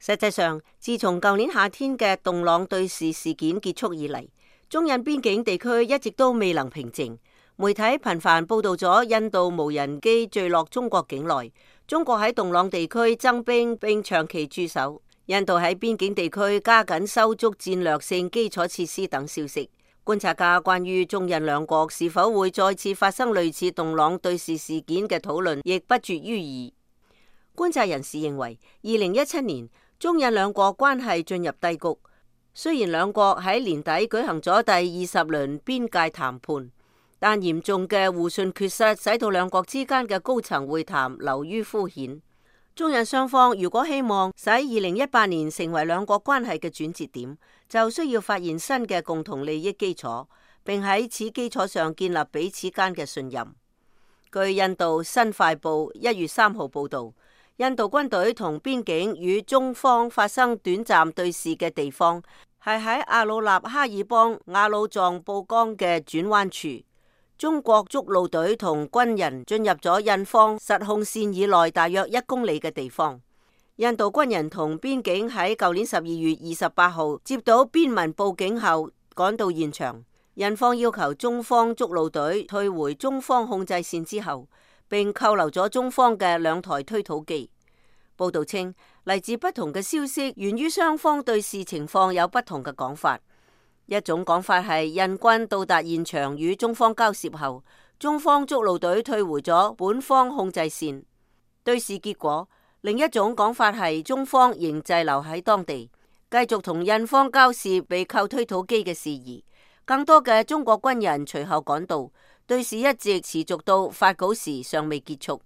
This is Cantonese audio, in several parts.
實際上，自從舊年夏天嘅洞朗對峙事件結束以嚟，中印邊境地區一直都未能平靜。媒體頻繁報道咗印度無人機墜落中國境內，中國喺洞朗地區增兵並長期駐守，印度喺邊境地區加緊修築戰略性基礎設施等消息。觀察家關於中印兩國是否會再次發生類似洞朗對峙事件嘅討論亦不絕於耳。觀察人士認為，2017年中印兩國關係進入低谷，雖然兩國喺年底舉行咗第20輪邊界談判，但嚴重嘅互信缺失使到兩國之間嘅高層會談流於敷衍。中印雙方如果希望使2018年成為兩國關係嘅轉折點，就需要發現新嘅共同利益基礎，並喺此基礎上建立彼此間嘅信任。據印度新快報1月3號報道，印度軍隊同邊境與中方發生短暫對峙嘅地方係喺阿魯納哈爾邦雅魯藏布江嘅轉彎處。中國築路隊同軍人進入咗印方實控線以內大約1公里嘅地方。印度軍人同邊境喺舊年12月28號接到邊民報警後趕到現場，印方要求中方築路隊退回中方控制線之後，並扣留咗中方嘅2台推土機。報道稱，嚟自不同嘅消息源於雙方對視情況有不同嘅講法。一種講法係印軍到達現場與中方交涉後，中方築路隊退回咗本方控制線對視結果。另一種講法係中方仍滯留喺當地，繼續同印方交涉被扣推土機嘅事宜。更多嘅中國軍人隨後趕到，對視一直持續到發稿時尚未結束。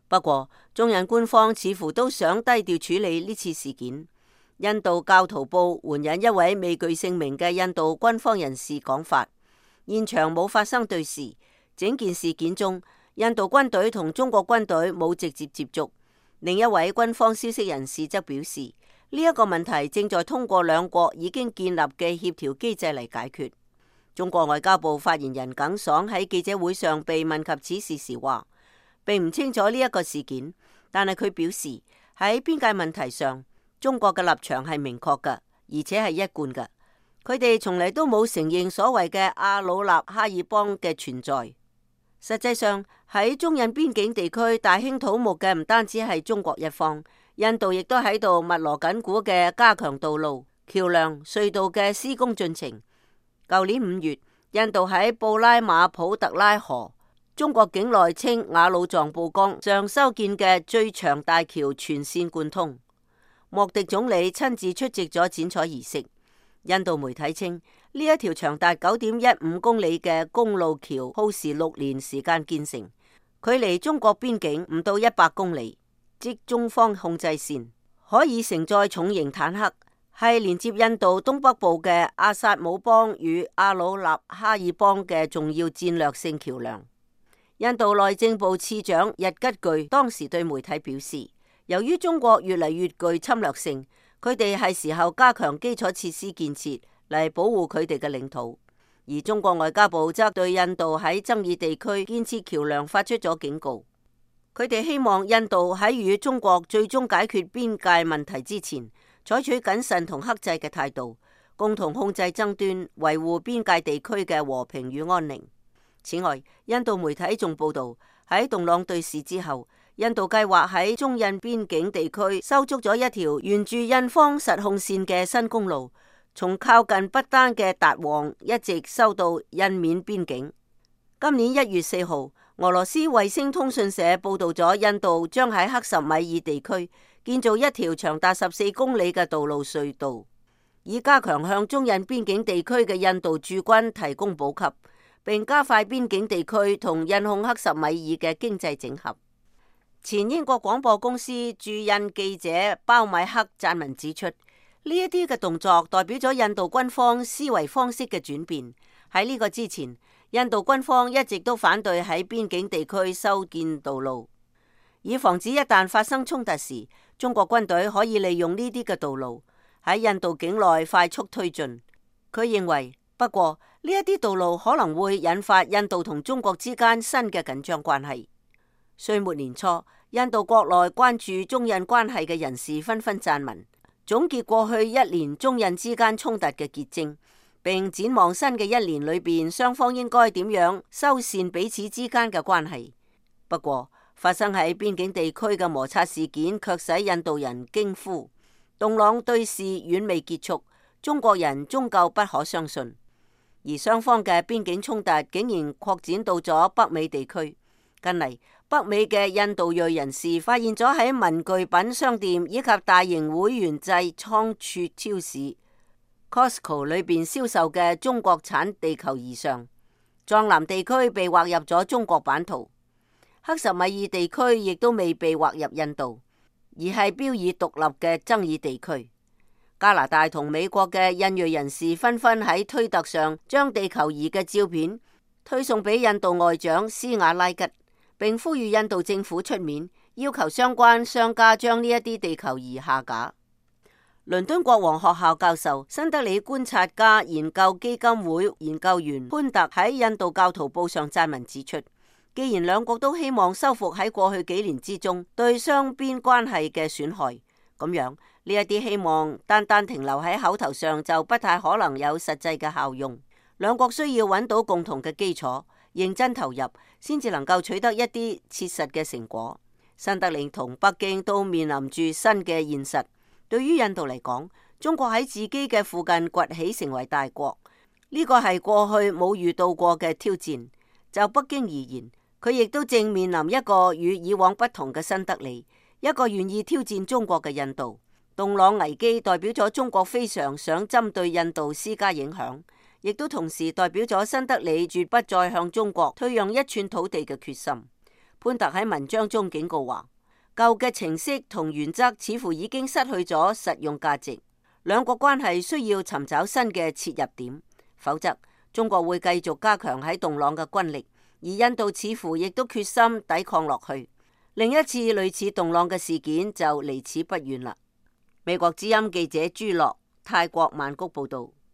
不過，中印官方似乎都想低調處理呢次事件。印度教徒報援引一位未具姓名嘅印度軍方人士講法，現場冇發生對視，整件事件中，印度軍隊同中國軍隊冇直接接觸。另一位軍方消息人士則表示，呢一個問題正在通過兩國已經建立嘅協調機制嚟解決。中國外交部發言人耿爽喺記者會上被問及此事時話，並唔清楚呢一個事件，但係佢表示喺邊界問題上，中國嘅立場係明確嘅，而且係一貫嘅。佢哋從嚟都冇承認所謂嘅阿魯納哈爾邦嘅存在。實際上喺中印邊境地區大興土木嘅唔單止係中國一方，印度亦都喺度密鑼緊鼓嘅加強道路、橋梁、隧道嘅施工進程。舊年5月，印度喺布拉馬普特拉河中國境內稱雅魯藏布江上修建嘅最長大橋全線貫通。莫迪總理親自出席咗剪彩儀式。印度媒體稱，呢一條長達9.15公里嘅公路橋耗時6年時間建成，距離中國邊境唔到100公里，即中方控制線，可以承載重型坦克，係連接印度東北部嘅阿薩姆邦與阿魯納哈爾邦嘅重要戰略性橋樑。印度內政部次長日吉具當時對媒體表示，由於中國越嚟越具侵略性，佢哋係時候加強基礎設施建設嚟保護佢哋嘅領土。而中國外交部則對印度喺爭議地區建設橋樑發出咗警告，佢哋希望印度喺與中國最終解決邊界問題之前，採取謹慎同克制嘅態度，共同控制爭端，維護邊界地區嘅和平與安寧。此外，印度媒體仲報道，喺洞朗對峙之後，印度計劃喺中印邊境地區修築咗一條沿住印方實控線嘅新公路，從靠近不丹嘅達旺一直修到印緬邊境。今年1月4號，俄羅斯衛星通訊社報道咗印度將喺克什米爾地區建造一條長達14公里嘅道路隧道，以加強向中印邊境地區嘅印度駐軍提供補給，並加快邊境地區同印控克什米爾嘅經濟整合。前英國廣播公司駐印記者鮑米克撰文指出，呢一啲嘅動作代表咗印度軍方思維方式嘅轉變。喺呢個之前，印度軍方一直都反對喺邊境地區修建道路，以防止一旦發生衝突時，中國軍隊可以利用呢啲嘅道路喺印度境內快速推進。佢認為，不過呢一啲道路可能會引發印度同中國之間新嘅緊張關係。歲末年初，印度國內關注中印關係嘅人士紛紛撰文，總結過去一年中印之間衝突嘅結晶，並展望新嘅一年裏邊雙方應該點樣修繕彼此之間嘅關係。不過，發生喺邊境地區嘅摩擦事件卻使印度人驚呼：洞朗對峙遠未結束，中國人終究不可相信。而雙方嘅邊境衝突竟然擴展到咗北美地區。近嚟，北美嘅印度裔人士發現咗喺文具品商店以及大型會員制倉儲超市 Costco 裏邊銷售嘅中國產地球儀上，藏南地區被劃入咗中國版圖，克什米爾地區亦都未被劃入印度，而係標以獨立嘅爭議地區。加拿大同美國嘅印裔人士紛紛喺推特上將地球儀嘅照片推送俾印度外長斯瓦拉吉，並呼籲印度政府出面要求相關商家將呢一啲地球儀下架。倫敦國王學校教授、新德里觀察家研究基金會研究員潘特喺印度教徒報上撰文指出，既然兩國都希望修復喺過去幾年之中對雙邊關係嘅損害，咁樣呢一啲希望單單停留喺口頭上就不太可能有實際嘅效用。兩國需要揾到共同嘅基礎，認真投入，先至能夠取得一啲切實嘅成果。新德里同北京都面臨住新嘅現實。對於印度嚟講，中國喺自己嘅附近崛起成為大國，呢個係過去冇遇到過嘅挑戰。就北京而言，佢亦都正面臨一個與以往不同嘅新德里，一個願意挑戰中國嘅印度。洞朗危機代表咗中國非常想針對印度施加影響，亦都同時代表咗新德里絕不再向中國退讓一寸土地嘅決心。潘特喺文章中警告話，舊嘅程式同原則似乎已經失去咗實用價值，兩國關係需要尋找新嘅切入點，否則中國會繼續加強喺洞朗嘅軍力，而印度似乎亦都決心抵抗落去。另一次類似洞朗嘅事件就離此不遠啦。美國之音記者朱樂，泰國曼谷報道。